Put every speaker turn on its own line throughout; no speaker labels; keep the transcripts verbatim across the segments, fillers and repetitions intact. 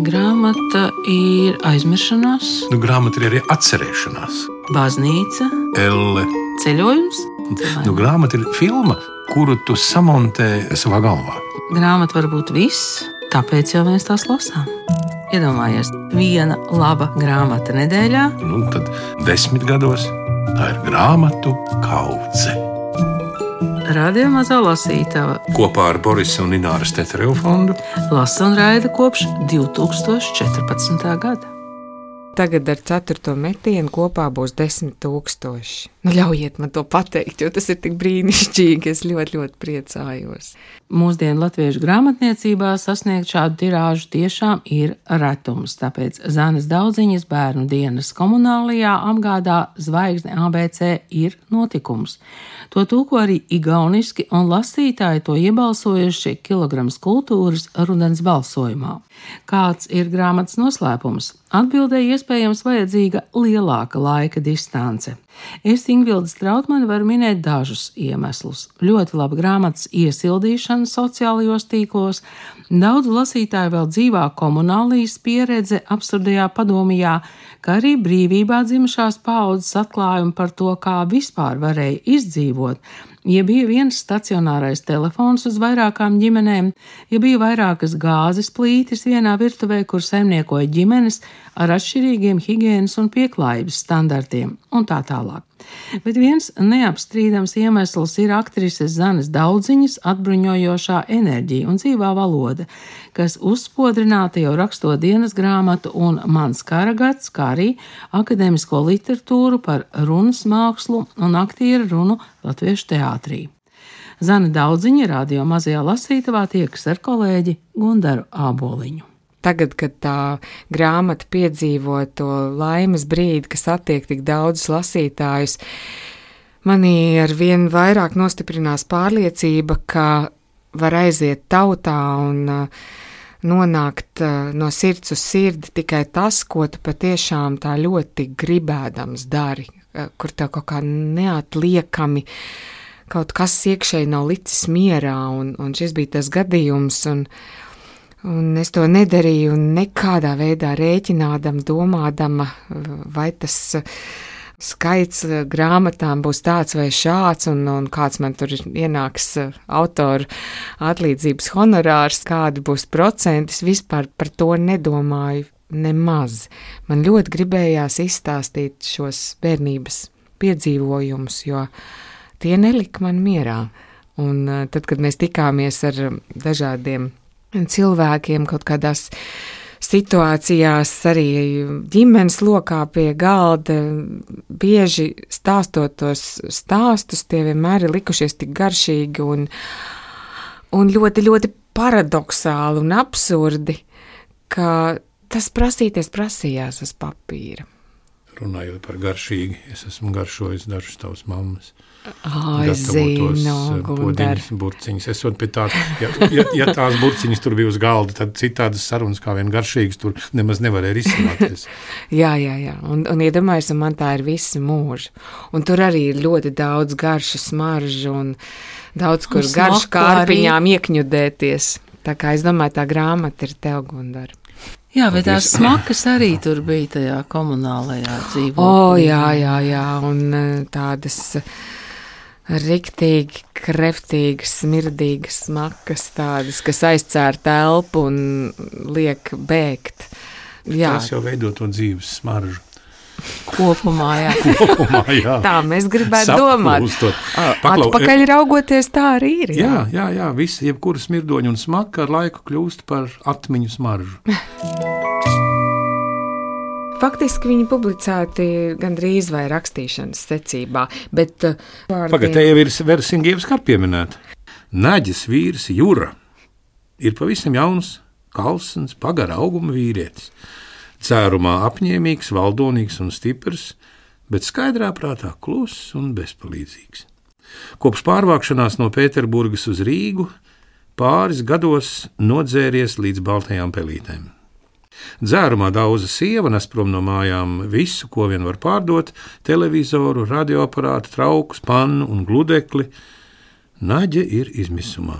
Grāmata ir aizmiršanās.
Nu, grāmata ir arī atcerēšanās.
Baznīca.
Elle.
Ceļojums.
Nu, grāmata ir filma, kuru tu samontē savā galvā.
Grāmata var būt viss, tāpēc jau mēs tās lasām. Iedomājies, viena laba grāmata nedēļā.
Nu, tad desmit gados tā ir grāmatu kaudze.
Radio Mazā lasītava
Kopā ar Borisa un Ināras Tetereva fondu
lasa un raida kopš divi tūkstoši četrpadsmitā gada.
Tagad ar ceturto metienu kopā būs desmit tūkstoši. Nu, ļaujiet man to pateikt, jo tas ir tik brīnišķīgi. Es ļoti, ļoti priecājos.
Mūsdienu latviešu grāmatniecībā sasniegt šādu tirāžu tiešām ir retums, tāpēc Zanes Daudziņas bērnu dienas komunālajā apgādā Zvaigzne A B C ir notikums. To tulko arī igauniski, un lasītāji to iebalsojuši Kilograms kultūras rudens balsojumā. Kāds ir grāmatas noslēpums? Atbildēji iespējams vajadzīga lielāka laika distance. Es Ingvilda Strautmane varu minēt dažus iemeslus. Ļoti laba grāmatas iesildīšana sociālajos tīklos, daudzu lasītāju vēl dzīvā komunālijas pieredze absurdajā padomijā, kā arī brīvībā dzimušās paaudzes atklājumi par to, kā vispār varēja izdzīvot, ja bija viens stacionārais telefons uz vairākām ģimenēm, ja bija vairākas gāzes plītis vienā virtuvē, kur saimniekoja ģimenes ar atšķirīgiem higienas un pieklājības standartiem un tā tālāk. Bet viens neapstrīdams iemesls ir aktrises Zanes Daudziņas atbruņojošā enerģija un dzīvā valoda, kas uzspodrināta jau rakstot dienas grāmatu un Mans karagats, kā arī akadēmisko literatūru par runas mākslu un aktieru runu latviešu teātrī. Zane Daudziņa Radio Mazajā lasītavā tiekas ar kolēģi Gundaru Āboliņu.
Tagad, kad tā grāmata piedzīvo to laimes brīdi, kas attiek tik daudzus lasītājus, manī ar vien vairāk nostiprinās pārliecība, ka var aiziet tautā un nonākt no sirds uz sirdi tikai tas, ko tu patiešām tā ļoti gribēdams dari, kur tev kaut kā neatliekami kaut kas iekšēji nav licis mierā, un, un šis bija tas gadījums, un Un es to nedarīju nekādā veidā rēķinādama, domādama, vai tas skaits grāmatām būs tāds vai šāds, un, un kāds man tur ienāks autoru atlīdzības honorārs, kādi būs procenti. Es vispār par to nedomāju nemaz. Man ļoti gribējās izstāstīt šos bērnības piedzīvojumus, jo tie nelika man mierā. Un tad, kad mēs tikāmies ar dažādiem cilvēkiem kaut kādās situācijās, arī ģimenes lokā pie galda, bieži stāstot tos stāstus, tie vienmēr ir likušies tik garšīgi un, un ļoti, ļoti paradoxāli un absurdi, ka tas prasīties prasījās uz papīra.
Runājot par garšīgi, es esmu garšojis dažus tavas mammas.
Ai, zinu, Gundar.
Burciņas. Es pie tā, ja, ja, ja tās burciņas tur bija uz galda, tad citādas sarunas kā vien garšīgas tur nemaz nevarēja risināties.
jā, jā, jā. Un, un iedomājies, un man tā ir visa mūža. Un tur arī ir ļoti daudz garšu smaržu un daudz, kur garšu kārpiņām iekņudēties. Tā kā es domāju, tā grāmata ir tev, Gundar.
Jā, bet tās smakas arī tur bija tajā komunālajā dzīvoklī.
O, jā, jā, jā, un tādas riktīgi, kreftīgas, smirdīgas smakas tādas, kas aizcēr telpu un liek bēgt. Jā.
Tas jau veido to dzīves smaržu.
Kopumā, jā.
Kopumā, jā.
Tā mēs gribētu domāt.
Paklau,
atpakaļ raugoties, tā arī ir. Jā,
jā, jā, jā visi, jebkura smirdoņa un smaka ar laiku kļūst par atmiņu smaržu.
Faktiski viņi publicēti gandrīz vai rakstīšanas secībā, bet vārdiem...
Pagad, te jau ir Versingievs kā pieminēta. Naģis vīrs Jura ir pavisam jauns, kalsns, pagara auguma vīrietis. Cērumā apņēmīgs, valdonīgs un stiprs, bet skaidrā prātā kluss un bezpalīdzīgs. Kopš pārvākšanās no Pēterburgas uz Rīgu pāris gados nodzēries līdz baltajām pelītēm. Dzērumā daudza sieva nes prom no mājām visu, ko vien var pārdot – televizoru, radioaparātu, traukus, pannu un gludekli. Naģe ir izmisumā.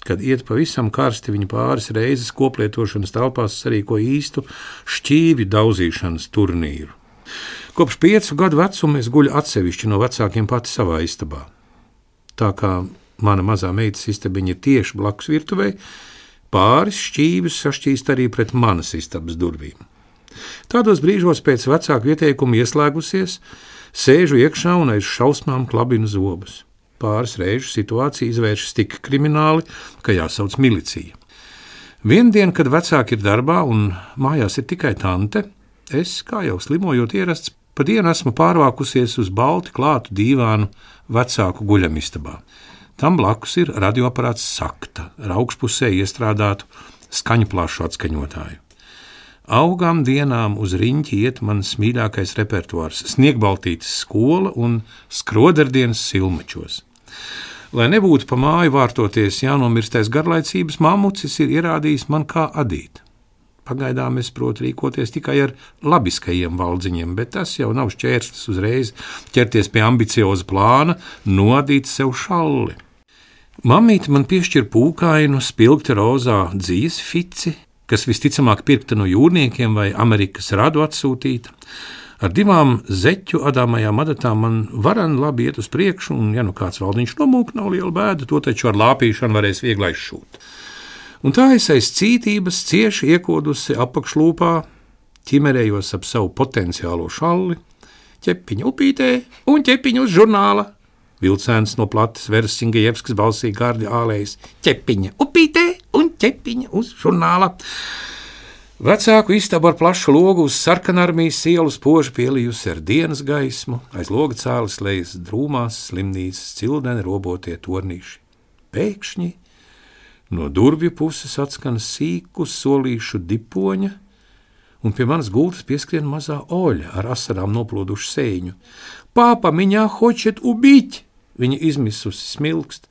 Kad iet pavisam karsti, viņa pāris reizes koplietošanas telpās sarīko īstu šķīvju daudzīšanas turnīru. Kopš piecu gadu vecuma es guļu atsevišķi no vecākiem pati savā istabā. Tā kā mana mazā meitas istabiņa ir tieši blakus virtuvei, pāris šķīvjus sašķīst arī pret manas istabas durvīm. Tādos brīžos pēc vecāku ieteikumu ieslēgusies, sēžu iekšā un aiz šausmām klabinu zobus. Pāris reižu situācija izvēršas tik krimināli, ka jāsauc milicija. Vienu dienu, kad vecāki ir darbā un mājās ir tikai tante, es, kā jau slimojot ierasts, pa dienu esmu pārvākusies uz balti klātu dīvānu vecāku guļamistabā. Tam blakus ir radioaparāts Sakta, ar augšpusē iestrādātu skaņu plašu atskaņotāju. Augām dienām uz riņķi iet mans mīļākais repertuārs – Sniegbaltītes skola un skroderdienas silmačos. Lai nebūtu pa māju vārtoties jānomirstais garlaicības, mammucis ir ierādījis man kā adīt. Pagaidām es protu rīkoties tikai ar labiskajiem valdziņiem, bet tas jau nav šķērslis uzreiz ķerties pie ambicioza plāna, noadīt sev šalli. Mammīte man piešķir pūkainu, spilgti rozā dzīves fici, kas visticamāk pirkta no jūrniekiem vai Amerikas radu atsūtīta. Ar divām zeķu adāmajām adatām man varan labi iet uz priekšu, un ja nu kāds valdiņš nomūk, nav liela bēda, to taču ar lāpīšanu varēs viegli aizšūt. Un tā es aiz cītības cieši iekodusi apakšlūpā, ķimerējos ap savu potenciālo šalli, ķepiņa upītē un ķepiņa uz žurnāla. Vilcēns no plates Versingejevskas balsī gardi ālējis, ķepiņa upītē un ķepiņa uz žurnāla. Vecāku istabu ar plašu logu uz Sarkanarmijas ielu spoži pielijusi ar dienas gaismu, aiz loga cēlis lejas drūmās slimnīcas cildeni robotie tornīši. Pēkšņi no durvju puses atskan sīku solīšu dipoņa, un pie manas gultas pieskrien mazā Oļa ar asarām noplūdušu sēņu. Pāpa, miņā hočet ubīt! Viņa izmisusi smilkst.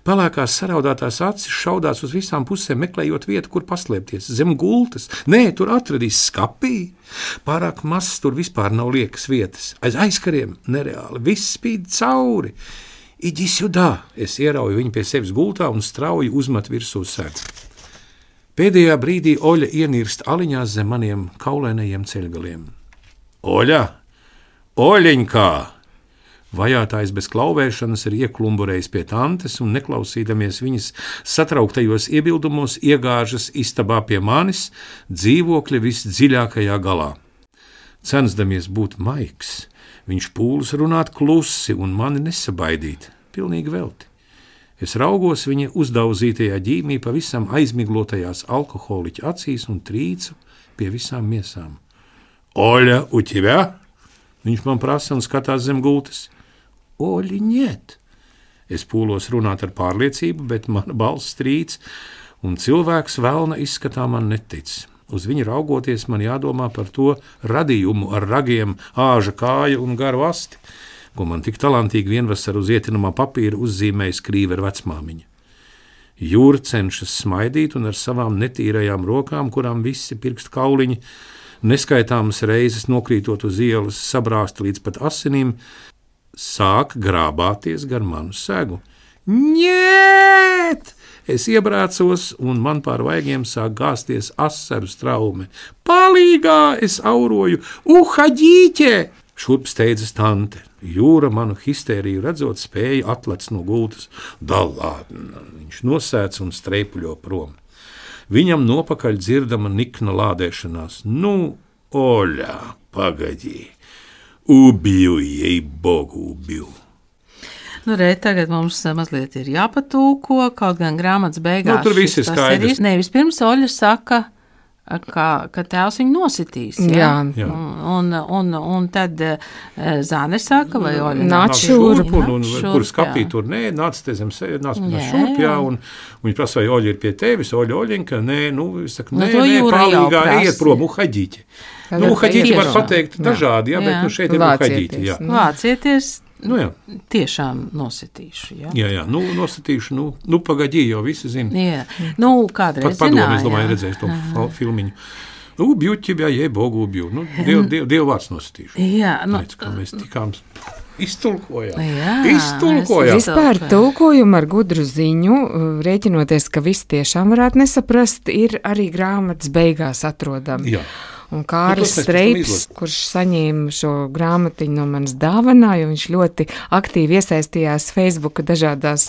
Pelēkās saraudātās acis šaudās uz visām pusēm, meklējot vietu, kur paslēpties. Zem gultas. Nē, tur atradīs skapī. Pārāk mazs tur vispār nav liekas vietas. Aiz aizkariem nereāli. Viss spīd cauri. Iģi sudā. Es ierauju viņu pie sevis gultā un strauji uzmet virsū sēdz. Pēdējā brīdī Oļa ienirst aliņās zem maniem kaulēnajiem ceļgaliem. Oļa! Oļiņkā! Vajātājs bez klauvēšanas ir ieklumburējis pie tantes un neklausīdamies viņas satrauktajos iebildumos iegāžas istabā pie manis dzīvokļa visdziļākajā galā. Censdamies būt maigs, viņš pūlas runāt klusi un mani nesabaidīt, pilnīgi velti. Es raugos viņa uzdauzītajā ģīmī pavisam aizmiglotajās alkoholiķa acīs un trīcu pie visām miesām. Oļa, u ķivē? Viņš man prasa un skatās zem gultas. Oļi, niet! Es pūlos runāt ar pārliecību, bet mana balss trīc, un cilvēks velna izskatā man netic. Uz viņu raugoties man jādomā par to radījumu ar ragiem, āža kāju un garu asti, ko man tik talantīgi vienvasar uz ietinamā papīra uzzīmēja skrīve ar vecmāmiņu. Jūra cenšas smaidīt un ar savām netīrajām rokām, kurām visi pirkstu kauliņi, neskaitāmas reizes nokrītot uz ielas, sabrāsta līdz pat asinīm, sāk grābāties gar manu segu. Niet! Es iebrācos, un man pār vaigiem sāk gāsties asaru straume. Palīgā! Es auroju. Uhaģīķe! Šurp steidzas tante. Jūra manu histēriju redzot spēja atlec no gultas. Dalādna! Viņš nosēdz un streipuļo prom. Viņam nopakaļ dzirdama nikna lādēšanās. Nu, Oļa, pagaģī! Ubiju, jei bogu, ubiju.
Nu, re, tagad mums mazliet ir jāpatūko, kaut gan grāmatas beigās.
Nu, tur viss ir skaidrs.
Ir, ne, vispirms Oļa saka, ka, ka tēvs viņu nositīs. Ja?
Jā.
Jā. Un, un, un tad Zāne saka, vai Oļa
nāc šurp.
Un, un, šurp, kur skapī tur, nē, nāc te zem sēd, nāc man šurp, jā, un, un viņi prasa, vai Oļa ir pie tevis, Oļa, Oļinka, nē, nu, es saku, nē,
nu,
nē, palīgā, ejiet prom, uhaģīķi. Nu, uhaģīķi var pateikt dažādi, jā, bet nu šeit ir uhaģīķi, jā.
Vācieties.
Nu, jā.
Tiešām nositīšu, jā?
Jā, jā, nu, nosītīšu, nu, nu pagaģī, jau visi zina.
Jā, nu, kādreiz
pat padomu,
zināja.
Es domāju, redzēs to Aha. filmiņu. Ubju, ķibjā, jē, bogu, ubju. Nu, diev, diev, diev vārds nosītīšu.
Jā, nu.
Redz, kā mēs tikām Iztulkojām.
Jā,
Iztulkojām.
Vispār tulkojumu ar gudru ziņu, rēķinoties, ka visi tiešām varētu nesaprast, ir arī grāmatas beigās atrodami.
Jā.
Un Kārlis Streips, kurš saņēma šo grāmatiņu no manas dāvanā, jo viņš ļoti aktīvi iesaistījās Facebooka dažādās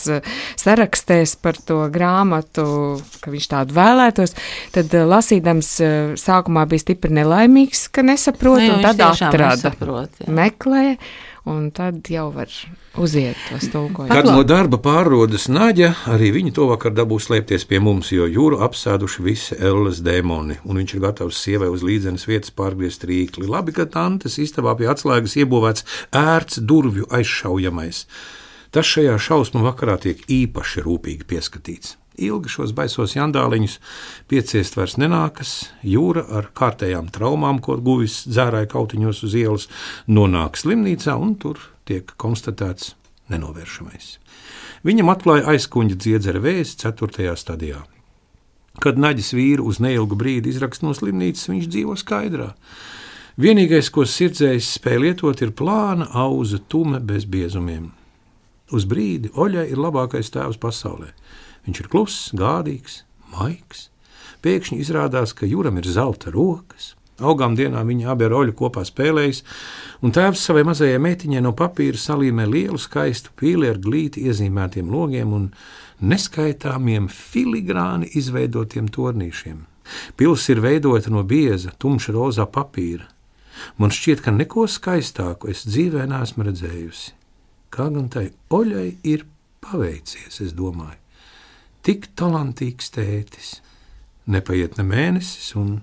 sarakstēs par to grāmatu, ka viņš tādu vēlētos, tad lasīdams sākumā bija stipri nelaimīgs, ka nesaprot, un tad atrada, meklē, un tad jau var uziet tos tulkojumus.
Kad no darba pārrodas Naģa, arī viņa to vakar dabūs slēpties pie mums, jo Jūru apsēduši visi Elles dēmoni, un viņš ir gatavs sievai uz līdzenes vietas pārgriezt rīkli. Labi, ka tantes istabā pie atslēgas iebūvēts ērts durvju aizšaujamais. Tas šajā šausmu vakarā tiek īpaši rūpīgi pieskatīts. Ilgi šos baisos jandāliņus pieciest vairs nenākas, Jūra ar kārtējām traumām, ko guvis dzērāja kautiņos uz ielas, nonāk slimnīcā un tur tiek konstatēts nenovēršamais. Viņam atklāja aizkuņģa dziedzera vēzi ceturtajā stadijā. Kad Naģis vīru uz neilgu brīdi izrakst no slimnīcas, viņš dzīvo skaidrā. Vienīgais, ko sirdzējs spēj lietot, ir plāna auza tume bez biezumiem. Uz brīdi Oļai ir labākais tēvs pasaulē. Viņš ir kluss, gādīgs, maigs. Pēkšņi izrādās, ka Juram ir zelta rokas. Augām dienā viņi abi ar Oļu kopā spēlējas, un tēvs savai mazajai meitiņai no papīra salīmē lielu skaistu pīli ar glīti iezīmētiem logiem un neskaitāmiem filigrāni izveidotiem tornīšiem. Pils ir veidota no bieza, tumša rozā papīra. Man šķiet, ka neko skaistāku es dzīvē neesmu redzējusi. Kā gan tai Oļai ir paveicies, es domāju. Tik talantīgs tētis. Nepaiet ne mēnesis, un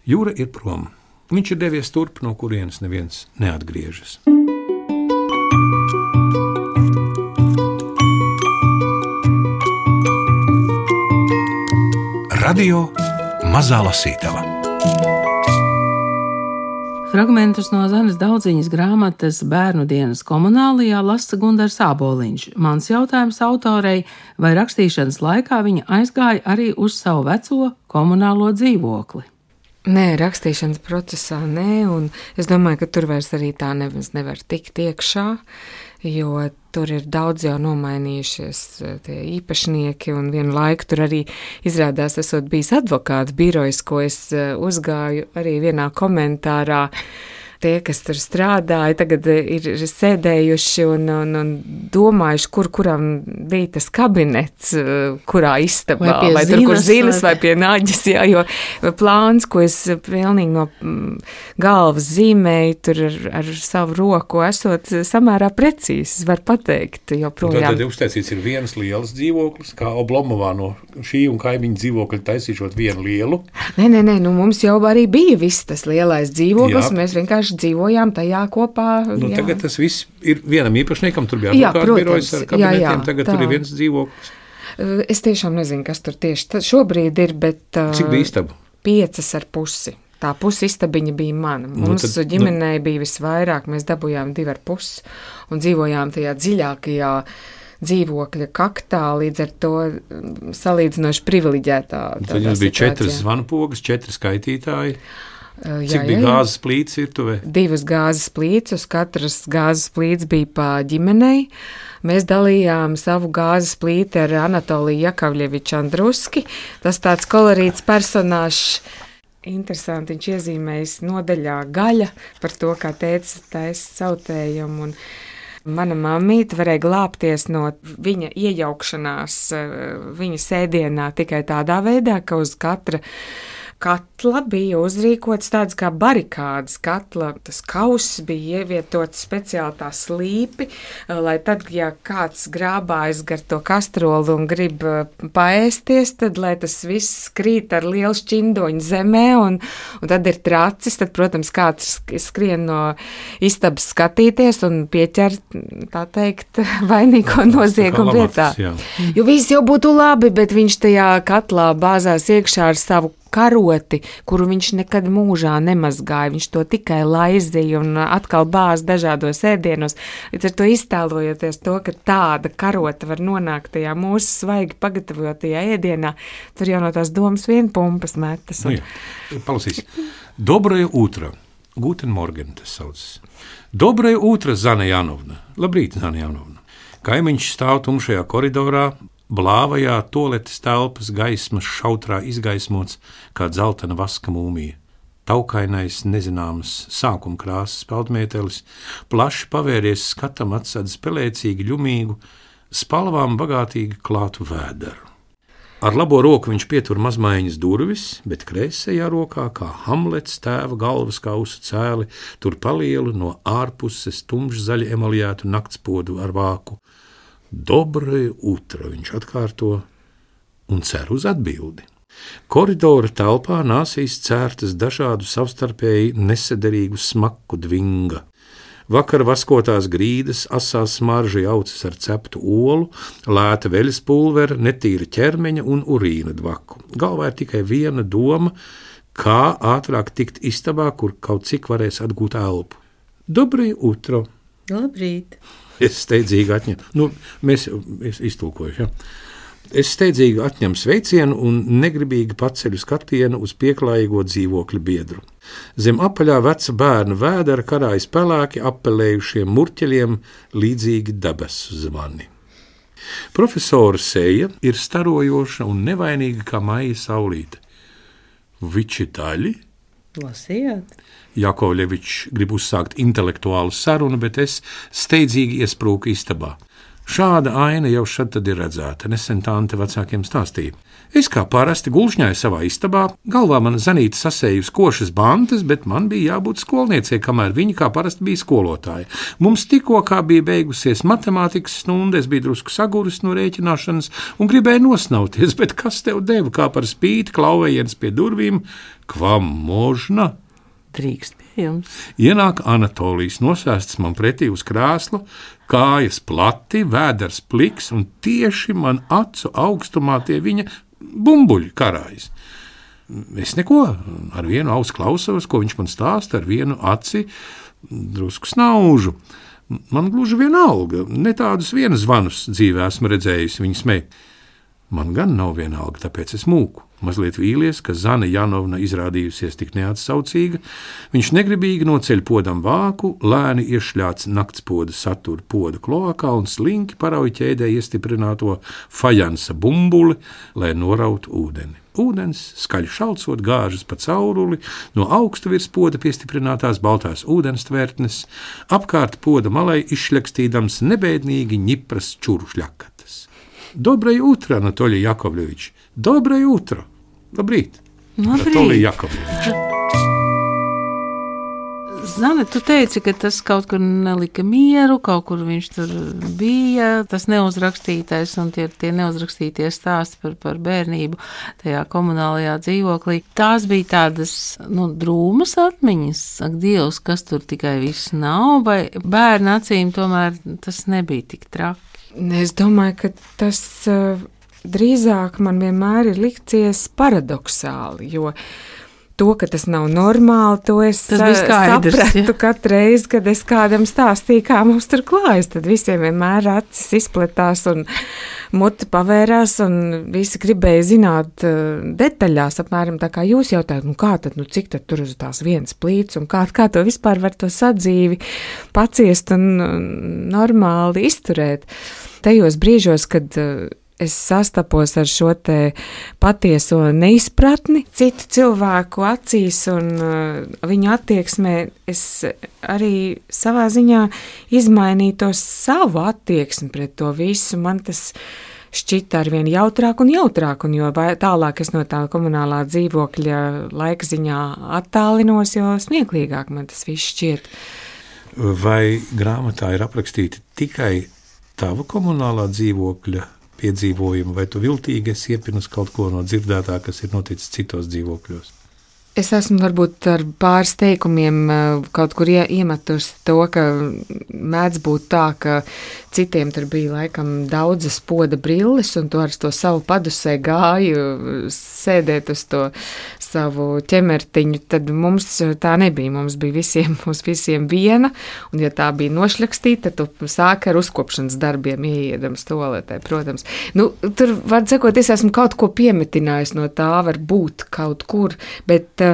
Jūra ir prom. Viņš ir devies turp, no kurienes neviens neatgriežas.
Radio Mazā Lasītava.
Fragmentus no Zanes Daudziņas grāmatas Bērnu dienas komunālijā lasa Gundars Āboliņš. Mans jautājums autorei, vai rakstīšanas laikā viņa aizgāja arī uz savu veco komunālo dzīvokli?
Nē, rakstīšanas procesā nē, un es domāju, ka tur vairs arī tā neviens nevar tikt iekšā, jo tur ir daudz jau nomainījušies tie īpašnieki, un vienu laiku tur arī izrādās esot bijis advokāts birojs, ko es uzgāju arī vienā komentārā. Tie, kas tur strādāja, tagad ir sēdējuši un, un, un domājuši, kur kuram bija tas kabinets, kurā istabā, vai, vai tur, kur zinas, vai pie Naģis, jā, jo plāns, ko es pilnīgi no galvas zīmēju, tur ar, ar savu roku esot samērā precīzi, var pateikt, joprojām.
Tad uztaisīts ir viens liels dzīvoklis, kā Oblomovā no šī un kaimiņu dzīvokļa taisīšot vienu lielu.
Nē, nē, nē, nu mums jau arī bija viss tas lielais dzīvoklis, jā. Mēs vienkārši dzīvojām tajā kopā.
Nu, tagad tas viss ir vienam īpašniekam, tur bija advokātu birojas ar kabinetiem, jā, jā, tagad tā. Tur ir viens dzīvoklis.
Es tiešām nezinu, kas tur tieši šobrīd ir, bet...
Cik bija istabu?
Piecas ar pusi. Tā pusi istabiņa bija mana. Mums nu, tad, ģimenei nu... bija visvairāk, mēs dabujām divi ar pusi un dzīvojām tajā dziļākajā dzīvokļa kaktā, līdz ar to salīdzinoši privileģētā.
Tad jums bija četras zvanpogas, četri skaitītāji. Cik jā, bija jā, gāzes plīts virtuvē?
Divas gāzes plīts, uz katras gāzes plīts bija pa ģimenei. Mēs dalījām savu gāzes plīti ar Anatoliju Jakavļeviču Andruski. Tas tāds kolorīts personāžs. Interesanti, viņš iezīmējis nodaļā gaļa par to, kā tēcis taisa sautējumu. Un mana mammīte varēja glābties no viņa iejaukšanās viņa sēdienā tikai tādā veidā, ka uz katra katla bija uzrīkots tāds kā barikādas katla, tas kauss bija ievietots speciāli tā slīpi, lai tad, ja kāds grābājas gar to kastrolu un grib paēsties, tad, lai tas viss krīt ar lielu šķindoņu zemē, un, un tad ir tracis, tad, protams, kāds skrien no istabas skatīties un pieķer, tā teikt, vainīgo noziegumu vietā. Jā. Jo viss jau būtu labi, bet viņš tajā katlā bāzās iekšā ar savu karoti, kuru viņš nekad mūžā nemazgāja, viņš to tikai laizīja un atkal bāz dažādos ēdienos. Līdz ar to iztēlojoties to, ka tāda karota var nonākt tajā mūsu svaigi pagatavotajā ēdienā, tur jau no tās domas vien pumpas metas. Un...
Nu jā, palasīs. Dobrое утро. Guten Morgen tas saucas. Dobrai utra, Zana Janovna. Labrīt, Zana Janovna. Kaimiņš stāv tumšajā koridorā, blāvajā toaletes telpas gaismas šautrā izgaismots kā dzeltena vaska mūmija. Taukainais, nezināmas sākuma krāsas peldmētelis, plaši pavēries skatam atsedz pelēcīgi ļumīgu, spalvām bagātīgi klātu vēderu. Ar labo roku viņš pietur mazmaiņas durvis, bet kreisajā rokā, kā Hamlets tēva galvas kausu cēli, tur palielu no ārpuses tumšzaļi emaljētu naktspodu ar vāku. Dobrai utra, viņš atkārto un cer uz atbildi. Koridora telpā nāsīs cērtas dažādu savstarpēji nesederīgu smaku dvinga. Vakar vaskotās grīdas, asā smarža jaucas ar ceptu olu, lēta veļas pulvera, netīra ķermeņa un urīna dvaku. Galvā ir tikai viena doma, kā ātrāk tikt istabā, kur kaut cik varēs atgūt elpu. Dobrai utro.
Labrīt.
Es steidzīgi atņemu. Nu, mēs iztulkojuši, ja? Es steidzīgi atņemu sveicienu un negribīgi paceļu skatienu uz pieklājīgo dzīvokļa biedru. Zem apaļā veca bērna vēdera karājas pelēki apelējušiem murķeļiem līdzīgi debesu zvani. Profesora seja ir starojoša un nevainīga kā maija saulīte. Vičitaļi?
Lasījāt?
Jakovļevičs grib uzsākt intelektuālu sarunu, bet es steidzīgi iesprūku istabā. Šāda aina jau šad tad ir redzēta, nesen tante vecākiem stāstīja. Es kā parasti gulšņāju savā istabā, galvā man Zanīta sasējusi košas bantas, bet man bija jābūt skolniecei, kamēr viņa kā parasti bija skolotāja. Mums tikko kā bija beigusies matemātikas stunda, es biju drusku saguris no rēķināšanas un gribēju nosnauties, bet kas tev deva kā par spīti klauvējiens pie durvīm, kvam možna?
Drīkst pie jums.
Ienāk Anatolijas nosēsts man pretī uz krēslu, kājas plati, vēders pliks un tieši man acu augstumā tie viņa bumbuļi karājas. Es neko, ar vienu ausu klausos, ko viņš man stāsta, ar vienu aci drusku snaužu. Man gluži vienalga, ne tādus vienas zvanus dzīvē esmu redzējusi, viņa smēj. Man gan nav vienalga, tāpēc es mūku. Mazliet vīlies, ka Zana Janovna izrādījusies tik neatsaucīga, viņš negribīgi noceļ podam vāku, lēni iešļāts naktspoda satura poda kloakā un slinki parauj ķēdē iestiprināto fajansa bumbuli, lai norautu ūdeni. Ūdens, skaļi šalcot, gāžas pa cauruli, no augstu virs poda piestiprinātās baltās ūdens tvērtnes, apkārt poda malai izšļakstīdams nebēdnīgi ņipras čurušļakatas. Dobrai utra, Anatolij Jakovlevič. Dobrai utra. Labrīt.
Labrīt.
Anatolij Jakovlevič.
Zane, tu teici, ka tas kaut kur nelika mieru, kaut kur viņš tur bija, tas neuzrakstītais un tie, tie neuzrakstītie stāsti par, par bērnību tajā komunālajā dzīvoklī. Tās bija tādas, nu, drūmas atmiņas, ak, Dievs, kas tur tikai viss nav, vai bērnu acīm tomēr tas nebija tik traki?
Es domāju, ka tas uh, drīzāk man vienmēr ir licies paradoxāli, jo to, ka tas nav normāli, to es
skaidrs,
sapratu
ja?
Katru reizi, kad es kādam stāstīju, kā mums tur klājas, tad visiem vienmēr acis izpletās un muti pavērās un visi gribēja zināt uh, detaļās, apmēram tā kā jūs jautājat, nu kā tad, nu cik tad tur uz tās vienas plīts un kā, kā to vispār var to sadzīvi paciest un uh, normāli izturēt. Tajos brīžos, kad uh, es sastapos ar šo te patieso neizpratni citu cilvēku acīs un uh, viņu attieksmē, es arī savā ziņā izmainīju to savu attieksmi pret to visu. Man tas šķita arvien jautrāk un jautrāk, un jo tālāk es no tā komunālā dzīvokļa laika ziņā attālinos, jo smieklīgāk man tas viss šķiet.
Vai grāmatā ir aprakstīti tikai tava komunālā dzīvokļa piedzīvojumu, vai tu viltīgi esi iepinus kaut ko no dzirdētā, kas ir noticis citos dzīvokļos?
Es esmu varbūt ar pāris teikumiem kaut kur iemetusi to, ka mēdz būt tā, ka citiem tur bija laikam daudzas poda brilles, un tu ar to savu padusē gāju sēdēt uz to savu ķemertiņu, tad mums tā nebija. Mums bija visiem, mums visiem viena, un ja tā bija nošļakstīta, tad tu sāki ar uzkopšanas darbiem ieiedams toaletē, protams. Nu, tur, var sakot, es esmu kaut ko piemetinājis no tā, var būt kaut kur, bet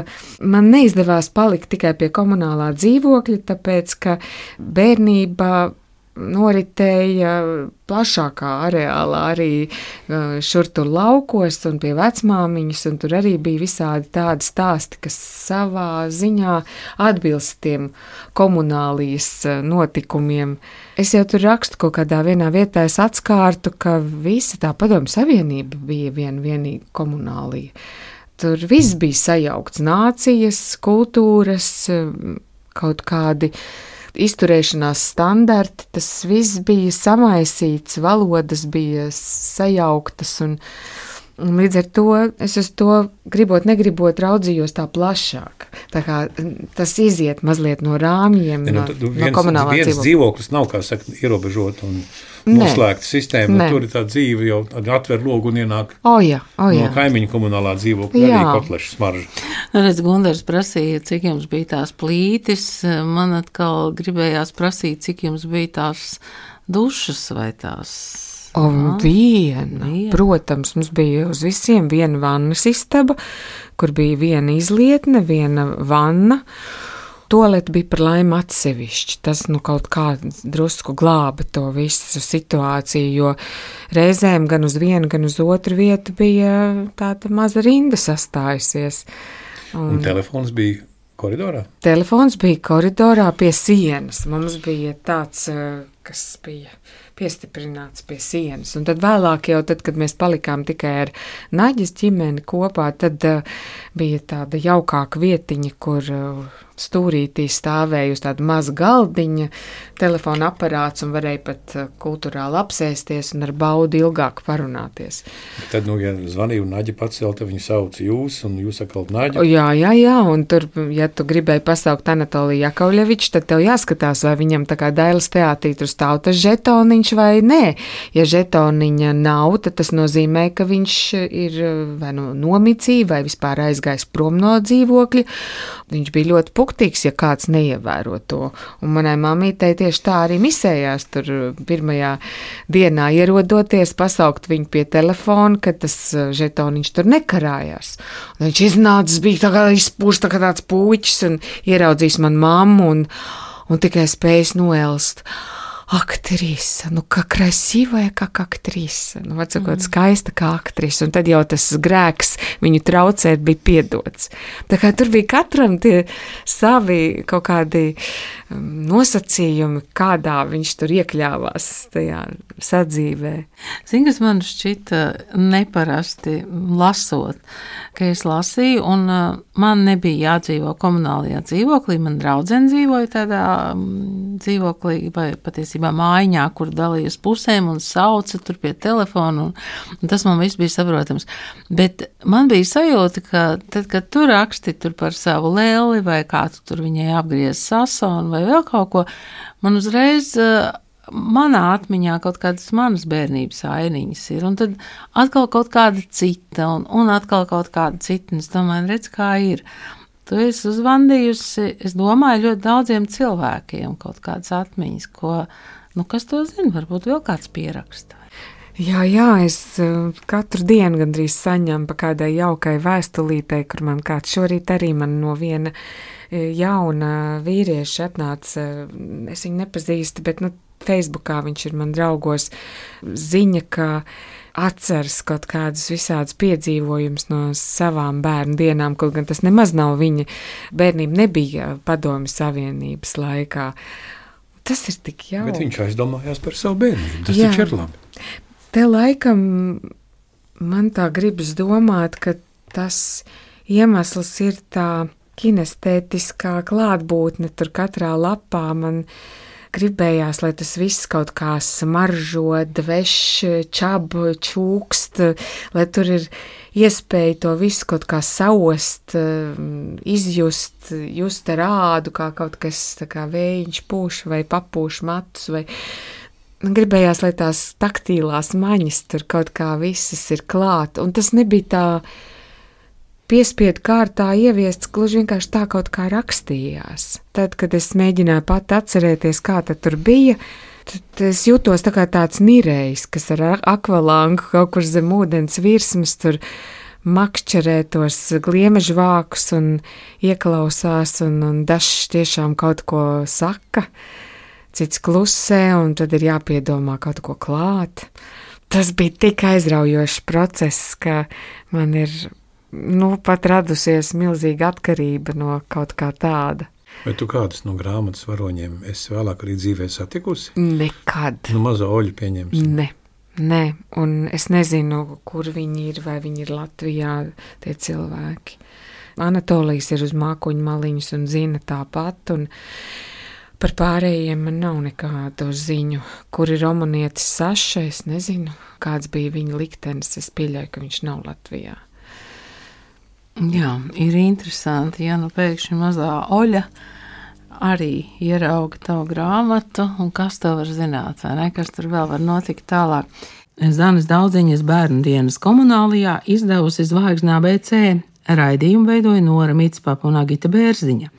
man neizdevās palikt tikai pie komunālā dzīvokļa, tāpēc, ka bērnība noritēja plašākā areālā, arī šur tur laukos un pie vecmāmiņas, un tur arī bija visādi tādi stāsti, kas savā ziņā atbilst tiem komunālijas notikumiem. Es jau tur rakstu kaut kādā vienā vietā, es atskārtu, ka visa tā Padomju Savienība bija vien vienīgi komunālija. Tur viss bija sajaukts, nācijas, kultūras, kaut kādi izturēšanās standarti, tas viss bija samaisīts, valodas bija sajauktas, un, un līdz ar to es uz to gribot, negribot raudzījos tā plašāk. Tā kā tas iziet mazliet no rāmjiem,
ne,
no,
nu,
no
viens,
komunālā
viens
dzīvokļa.
dzīvoklis nav, kā saka, ierobežot un noslēgta sistēma, nu, tur ir tā dzīve jau atver logu un ienāk
o, jā, o, jā.
no kaimiņu komunālā dzīvokļa, arī kotleša smarža.
Redz, Gundars prasīja, cik jums bija tās plītis, man atkal gribējās prasīt, cik jums bija tās dušas vai tās.
O, viena. viena. Protams, mums bija uz visiem viena vannas istaba, kur bija viena izlietne, viena vanna. Toalete bija par laimi atsevišķi. Tas nu kaut kā drusku glāba to visu situāciju, jo reizēm gan uz vienu, gan uz otru vietu bija tāda maza rinda sastājusies.
Un, un telefons bija koridorā?
Telefons bija koridorā pie sienas. Mums bija tāds, kas bija piestiprināts pie sienas. Un tad vēlāk jau, tad, kad mēs palikām tikai ar Naģas ģimeni kopā, tad uh, bija tāda jaukāka vietiņa, kur uh, stūrītī stāvēja uz tāda maza galdiņa, telefona aparāts un varēja pat uh, kulturāli apsēsties un ar baudu ilgāk parunāties.
Tad, nu, ja zvanīja un Naģa pacelta, viņa sauc jūs un jūs atkal Naģa.
Jā, jā, jā, un tur, ja tu gribēji pasaukt Anatoliju Jakovļeviču, tad tev jāskatās, vai viņam tā kā Dailes teātrī tur stāv tas žetoniņš vai nē. Ja žetoniņa nav, tad tas nozīmē, ka viņš ir vai nu nomicī, vai vispār aizgājis prom no dzīvokļa. Viņš bija ļoti puktīgs, ja kāds neievēro to. Un manai mamītei tieši tā arī misējās tur pirmajā dienā ierodoties, pasaukt viņu pie telefona, kad tas žetoniņš tur nekarājās. Un viņš iznācis, bija tā kā izpūst tā kā tāds puķis un ieraudzījis man mammu un, un tikai spējis noelst. Aktrise, nu kā krasīvая, kā aktrise, nu atsakot, skaista kā aktrise, un tad jau tas grēks viņu traucēt bija piedots. Tā kā tur bija katram tie savi kaut kādi nosacījumi, kādā viņš tur iekļāvās tajā sadzīvē.
Zini, kas man šķita neparasti lasot, ka es lasīju, un man nebija jādzīvo komunālajā dzīvoklī, man draudzene dzīvoja tādā dzīvoklī, vai patiesībā mājiņā, kur dalījās pusēm un sauca tur pie telefona, un, un tas man viss bija saprotams. Bet man bija sajūta, ka tad, kad tu raksti tur par savu lēli, vai kā tu tur viņai apgriez sasonu, vai vēl kaut ko, man uzreiz manā atmiņā kaut kādas manas bērnības ainiņas ir, un tad atkal kaut kāda cita, un, un atkal kaut kāda cita, un es domāju, redz, kā ir. Tu esi uzvandījusi, es domāju, ļoti daudziem cilvēkiem kaut kādas atmiņas, ko, nu, kas to zina, varbūt vēl kāds pieraksta.
Jā, jā, es katru dienu gandrīz saņemu pa kādai jaukai vēstulītei, kur man kāds šorīt arī man no viena jauna vīrieša atnāca, es viņu nepazīstu, bet, nu, Facebookā viņš ir man draugos, ziņa, ka atceras kaut kādus visādus piedzīvojumus no savām bērnu dienām, kaut gan tas nemaz nav viņa bērnība, nebija Padomju Savienības laikā. Tas ir tik jauki.
Bet viņš aizdomājās par savu bērnību, tas
Jā.
taču ir labi.
Te laikam man tā gribas domāt, ka tas iemesls ir tā kinestētiskā klātbūtne tur katrā lapā. Man gribējās, lai tas viss kaut kā smaržo, dveš, čab, čūkst, lai tur ir iespēja to visu kaut kā saost, izjust, just ar ādu, kā kaut kas tā kā vējiņš pūš vai papūš matus, vai gribējās, lai tās taktīlās maņas tur kaut kā visas ir klāt, un tas nebija tā piespiedu kārtā ieviests, gluži vienkārši tā kaut kā rakstījās. Tad, kad es mēģināju pat atcerēties, kā tad tur bija, tad es jūtos tā kā tāds nirējs, kas ar akvalangu kaut kur zem ūdens virsmas tur makšķerē tos gliemežu vākus un ieklausās, un, un dažs tiešām kaut ko saka, cits klusē, un tad ir jāpiedomā kaut ko klāt. Tas bija tik aizraujošs process, ka man ir, nu, pat radusies milzīga atkarība no kaut kā tāda.
Vai tu kādus no grāmatas varoņiem esi vēlāk arī dzīvē satikusi?
Nekad.
Nu, mazo Oļu pieņemsim.
Ne, ne, un es nezinu, kur viņi ir, vai viņi ir Latvijā, tie cilvēki. Anatolijas ir uz mākoņu maliņas un zina tāpat, un par pārējiem man nav nekādu ziņu. Kur ir romanietis Saša, es nezinu, kāds bija viņa liktenis, es pieļauju, ka viņš nav Latvijā.
Jā, ir interesanti, ja nu pēkšņi mazā Oļa arī ierauga tavu grāmatu, un kas to var zināt, vai ne, kas tur vēl var notikt tālāk. Zanes Daudziņas bērnu dienas komunālijā izdevusi Zvaigznā B C, raidījumu veidoja Nora Mitspapa un Agita Bērziņa.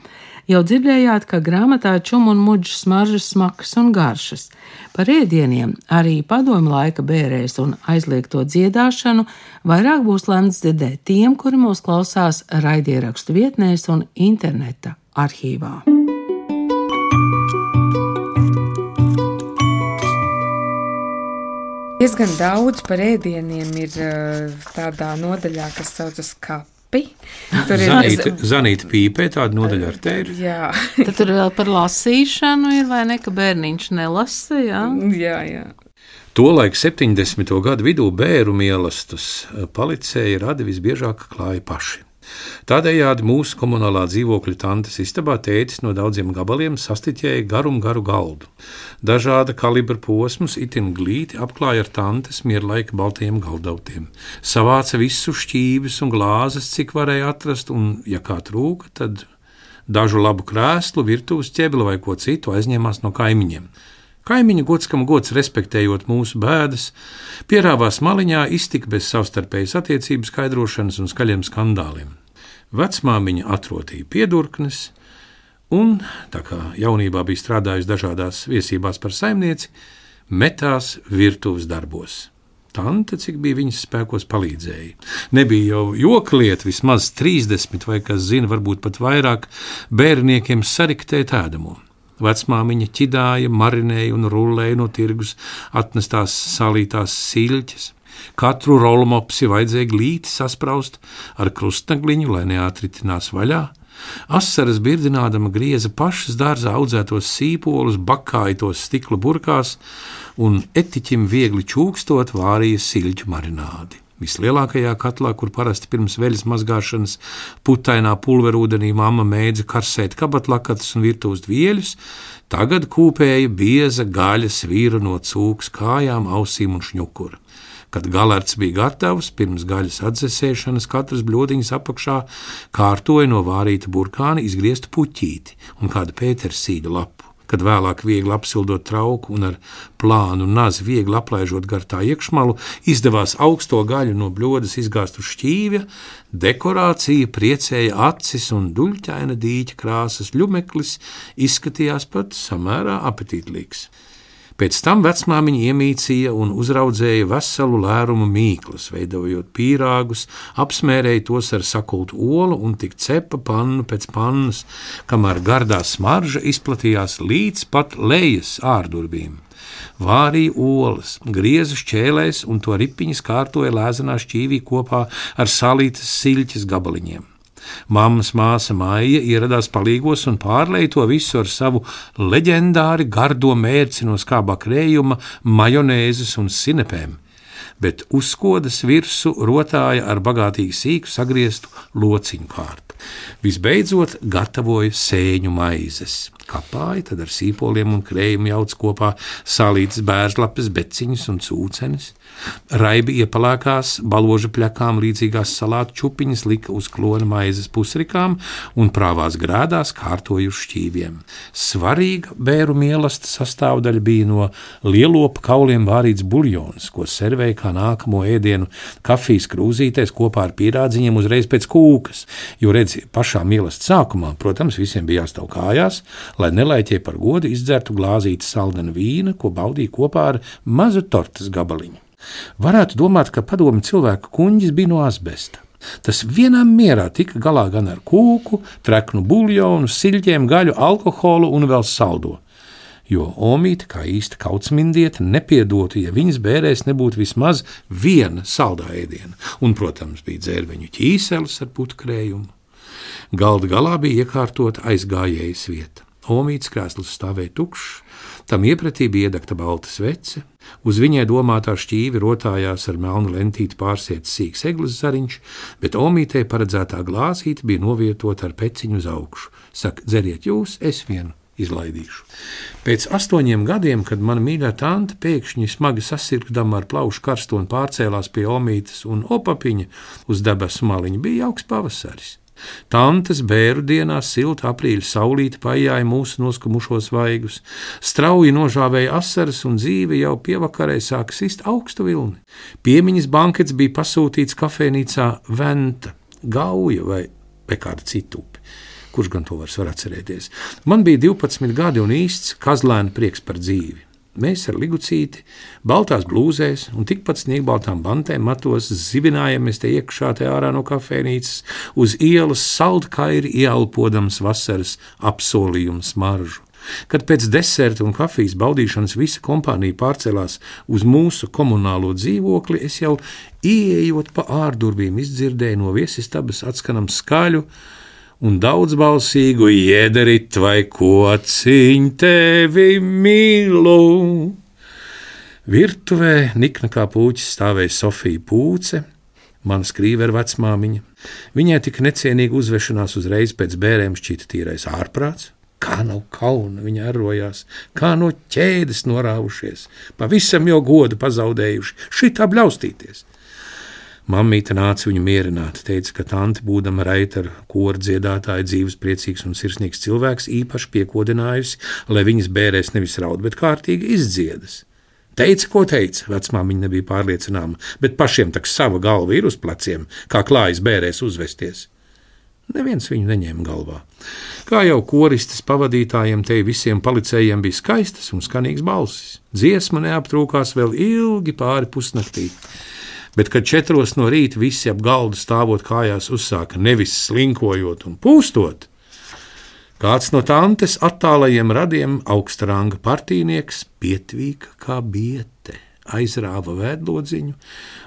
Jau dzirdējāt, ka grāmatā čum un muģas smaržas, smakas un garšas. Par ēdieniem, arī padomju laika bērēs un aizliegto dziedāšanu vairāk būs lemts dzirdēt tiem, kuri mūs klausās raidierakstu vietnēs un interneta arhīvā.
Diezgan daudz par ēdieniem ir tādā nodaļā, kas saucas kapi. Tur ir
Zanīta, Zanīta Pīpē, tāda nodaļa ar te ir.
Jā.
Tad tur vēl par lasīšanu ir, vai ne, ka bērniņš nelasa, jā?
Jā, jā.
Tolaik septiņdesmito gadu vidū bēru mīlestus palicēji radi visbiežāk klāja paši. Tādējādi mūsu komunālā dzīvokļa tantes istabā tētis no daudziem gabaliem sastiķēja garum garu galdu. Dažāda kalibra posmus itin glīti apklāja ar tantes mierlaika baltajiem galdautiem. Savāca visu šķīvis un glāzes, cik varēja atrast, un, ja kā trūka, tad dažu labu krēslu, virtuves ķebli vai ko citu aizņēmās no kaimiņiem. Kaimiņu gods, kam gods respektējot mūsu bēdas, pierāvās maliņā iztika bez savstarpējas attiecības skaidrošanas un skaļiem skandāliem. Vecmāmiņa atrotīja piedurknes, un, tā kā jaunībā bija strādājusi dažādās viesībās par saimnieci, metās virtuves darbos. Tante, cik bija viņas spēkos, palīdzēja. Nebija jau joka lieta, vismaz trīsdesmit vai, kas zina, varbūt pat vairāk, bērniekiem sariktēt ēdamo. Vecmāmiņa ķidāja, marinēja un rullēja no tirgus atnestās salītās siļķes. Katru rolmopsi vajadzēja glīti saspraust ar krustnagliņu, lai neatritinās vaļā. Asaras birdinādama grieza pašas dārzā audzētos sīpolus, bakāja tos stikla burkās un etiķim viegli čūkstot vārīja siļķu marinādi. Vislielākajā katlā, kur parasti pirms veļas mazgāšanas putainā pulverūdenī mamma mēdza karsēt kabatlakatus un virtuves dvieļus, tagad kūpēja bieza gaļa svīra no cūkas kājām, ausīm un šņukura. Kad galerts bija gatavs, pirms gaļas atdzesēšanas katras bļodiņas apakšā kārtoja no vārīta burkāna izgrieztu puķīti un kādu pētersīļa lapu. Kad vēlāk viegli apsildot trauku un ar plānu nazi viegli aplaižot gar tā iekšmalu, izdevās augsto gaļu no bļodas izgāzt uz šķīvja, dekorācija priecēja acis un duļķaina dīķa krāsas ļumeklis izskatījās pat samērā apetītlīgs. Pēc tam vecmāmiņa iemīcīja un uzraudzēja veselu lērumu mīklas, veidojot pīrāgus, apsmērēja tos ar sakultu olu un tik cepa pannu pēc pannas, kamēr gardā smarža izplatījās līdz pat lejas ārdurvīm. Vārīja olas, grieza šķēlēs un to ripiņas kārtoja lēzenā šķīvī kopā ar salītas siļķes gabaliņiem. Mammas māsa Maija ieradās palīgos un pārlēja to visu ar savu leģendāri gardo mērci no skābā krējuma, majonēzes un sinepēm, bet uzskodas virsu rotāja ar bagātīgi sīku sagrieztu lociņu kārtu. Visbeidzot gatavoja sēņu maizes. Kapāja, tad ar sīpoliem un krējumu jauc kopā salītas bērzlapes, beciņas un cūcenes. Raibi iepalēkās, baloža pļakām līdzīgās salātu čupiņas lika uz klona maizes pusrikām un prāvās grēdās kārtoja uz šķīviem. Svarīga bēru mīlesta sastāvdaļa bija no lielopa kauliem vārīts buļjons, ko servēja kā nākamo ēdienu kafijas krūzītēs kopā ar pīrādziņiem uzreiz pēc kūkas, jo redzi, pašā mīlestas sākumā, protams, visiem bija jāstāv kājās, lai nelaiķie par godu izdzertu glāzīti saldena vīna, ko baudīja kopā ar mazu tortas gabaliņu. Varētu domāt, ka padomi cilvēku kuņģis bija no asbesta. Tas vienā mierā tika galā gan ar kūku, treknu buļļonu, siļķiem, gaļu, alkoholu un vēl saldo. Jo omīte, kā īsta kautsmindiete, nepiedotu, ja viņas bērēs nebūtu vismaz viena saldā ēdiena. Un, protams, bija dzērveņu ķīseles ar putkrējumu. Galda galā bija iekārtota aizgājējas vieta. Omītes krēsls stāvēja tukšs, tam iepratī bija iedegta balta svece, uz viņai domātā šķīvi rotājās ar melnu lentīti pārsietas sīks eglis zariņš, bet omītei paredzētā glāzīte bija novietota ar peciņu uz augšu. Saka, dzeriet jūs, es vienu izlaidīšu. Pēc astoņiem gadiem, kad mana mīļā tante pēkšņi smagi sasirgdama ar plaušu karstoni pārcēlās pie omītes un opapiņa uz debesu maliņa, bija jauks pavasaris. Tantes bēru dienās silta aprīļa saulīte paijāja mūsu noskumušos vaigus, strauji nožāvēja asaras un dzīve jau pievakarē sāka sist augstu vilni. Piemiņas bankets bija pasūtīts kafejnīcā Venta, Gauja vai, vai kāda cita upe. Kurš gan to vairs var atcerēties? Man bija divpadsmit gadi un īsts kazlēna prieks par dzīvi. Mēs ar Ligucīti, baltās blūzēs un tikpat sniegbaltām bantēm matos zibinājamies te iekšā te ārā no kafejnīcas, uz ielas saldkairi ieelpodams vasaras apsolījumu smaržu. Kad pēc deserta un kafijas baudīšanas visa kompānija pārcēlās uz mūsu komunālo dzīvokli, es jau ieejot pa ārdurvīm izdzirdēju no viesistabas atskanam skaļu un daudzbalsīgu iederit vai kociņ tevi mīlu. Virtuvē nikna kā pūķis stāvēja Sofija Pūce, mana skrīvera vecmāmiņa. Viņai tik necienīga uzvešanās uzreiz pēc bērēm šķita tīrais ārprāts. Kā nav kauna, viņa arrojās, kā no ķēdes norāvušies, pavisam jau godu pazaudējuši, šitā bļaustīties. Mammīte nāca viņu mierināt, teica, ka tante, būdama raita ar koru dziedātāja, dzīves priecīgs un sirsnīgs cilvēks, īpaši piekodinājusi, lai viņas bērēs nevis raud, bet kārtīgi izdziedas. Teica, ko teica, vecmāmiņa nebija pārliecināma, bet pašiem tak sava galva ir uz pleciem, kā klājas bērēs uzvesties. Neviens viņu neņēma galvā. Kā jau koristes pavadītājiem, te visiem policējiem bija skaistas un skanīgas balsis. Dziesma neaptrūkās vēl ilgi pāri pusnaktī. Bet, kad četros no rīta visi ap galdu stāvot kājās uzsāka nevis slinkojot un pūstot, kāds no tantes attālajiem radiem augsta ranga partīnieks pietvīka kā biete, aizrāva vēdlodziņu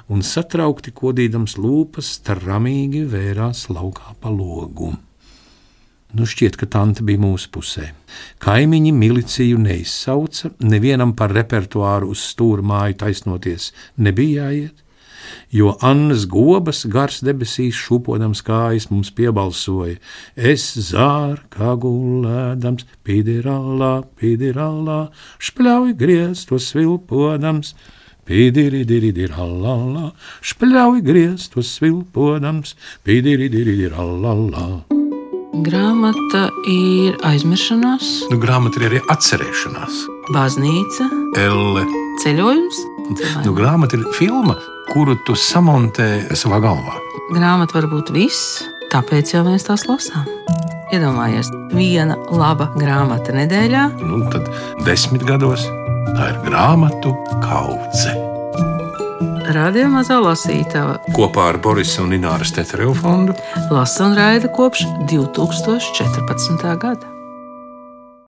un satraukti kodīdams lūpas taramīgi vērās laukā pa logu. Nu šķiet, ka tante bija mūsu pusē. Kaimiņi miliciju neizsauca, nevienam par repertuāru uz stūra māju taisnoties nebija jāiet, jo Annas Gobas gars debesīs šūpodams kājas mums piebalsoja: es zār kā gulēdams, pidirallā, pidirallā, špļauj griestos svilpodams, pidiridirirallā, špļauj griestos svilpodams, pidiridirirallā.
Grāmata ir aizmiršanās,
Nu, grāmata ir arī atcerēšanās.
baznīca,
Elle.
ceļojums.
Nu, grāmata ir filma, kuru tu samontē savā galvā.
Grāmata var būt viss, tāpēc jau mēs tās lasām. Iedomājies, viena laba grāmata nedēļā.
Nu, tad desmit gados tā ir grāmatu kaudze.
Radio Mazā lasītava
Kopā ar Borisa un Ināras Tetereva fondu
lasa un raida kopš divtūkstoš četrpadsmitā gada.